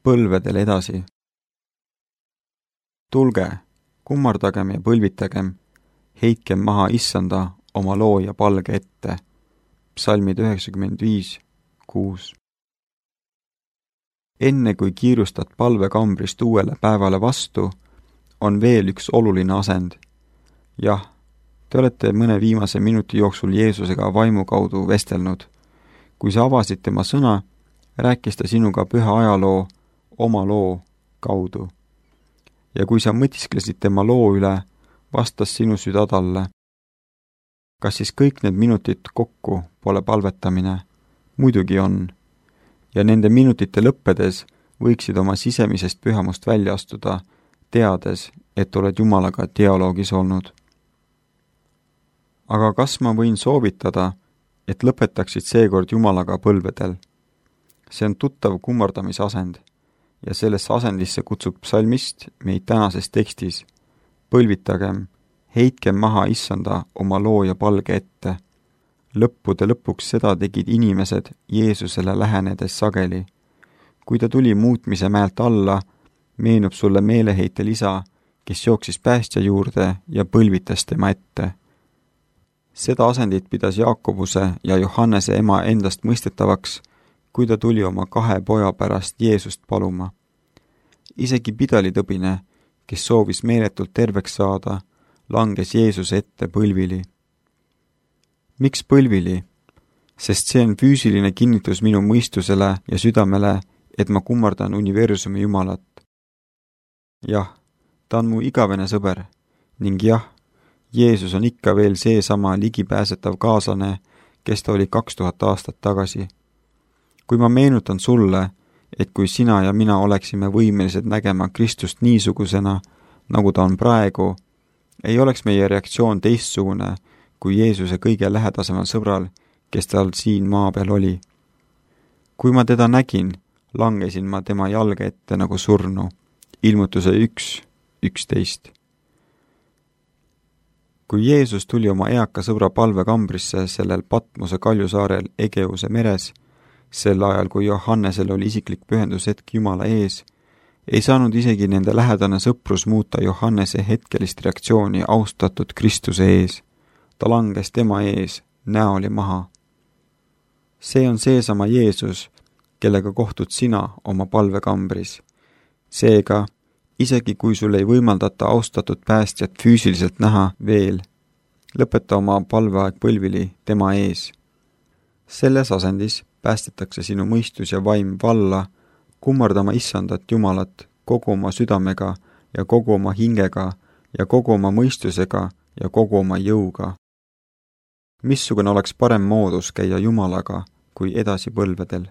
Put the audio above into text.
põlvedel edasi. Tulge, kummardagem ja põlvitagem, heitkem maha Issanda oma looja palge ette. Psalmid 95:6. Enne kui kiirustad palvekambrist uuele päevale vastu, on veel üks oluline asend. Jah, te olete mõne viimase minuti jooksul Jeesusega vaimu kaudu vestelnud. Kui sa avasid tema sõna, rääkis ta sinuga püha ajaloo, oma loo kaudu. Ja kui sa mõtisklesid tema loo üle, vastas sinu süda talle. Kas siis kõik need minutid kokku pole palvetamine? Muidugi on. Ja nende minutite lõppedes võiksid oma sisemisest pühamust välja astuda, teades, et oled Jumalaga dialoogis olnud. Aga kas ma võin soovitada, et lõpetaksid seekord Jumalaga põlvedel? See on tuttav kummardamisasend ja sellesse asendisse kutsub psalmist meid tänases tekstis. Põlvitagem, heitkem maha Issanda oma looja palge ette. Lõppude lõpuks seda tegid inimesed Jeesusele lähenedes sageli. Kui ta tuli muutmise mäelt alla, meenub sulle meeleheitel isa, kes jooksis päästja juurde ja põlvitas tema ette. Seda asendit pidas Jaakobuse ja Johannese ema endast mõistetavaks, kui ta tuli oma 2 poja pärast Jeesust paluma. Isegi pidalitõbine, kes soovis meeletult terveks saada, langes Jeesuse ette põlvili. Miks põlvili? Sest see on füüsiline kinnitus minu mõistusele ja südamele, et ma kummardan universumi Jumalat. Jah, ta on mu igavene sõber ning jah, Jeesus on ikka veel seesama ligipääsetav kaaslane, kes ta oli 2000 aastat tagasi. Kui ma meenutan sulle, et kui sina ja mina oleksime võimelised nägema Kristust niisugusena, nagu ta on praegu, ei oleks meie reaktsioon teistsugune kui Jeesuse kõige lähedasemal sõbral, kes tal siin maa peal oli. Kui ma teda nägin, langesin ma tema jalge ette nagu surnu. Ilmutuse 1:11. Kui Jeesus tuli oma eaka sõbra palvekambrisse sellel Patmose kaljusaarel Egeuse meres, sel ajal kui Johannesel oli isiklik pühendushetk Jumala ees, ei saanud isegi nende lähedane sõprus muuta Johannese hetkelist reaktsiooni austatud Kristuse ees. Ta langes tema ees, näoli maha. See on seesama Jeesus, kellega kohtud sina oma palvekambris. Seega, isegi kui sul ei võimaldata austatud päästjat füüsiliselt näha veel, lõpeta oma palveaeg põlvili tema ees. Selles asendis päästetakse sinu mõistus ja vaim valla, kummardama Issandat Jumalat kogu oma südamega ja kogu oma hingega ja kogu oma mõistusega ja kogu oma jõuga. Missugune oleks parem moodus käia Jumalaga kui edasi põlvedel?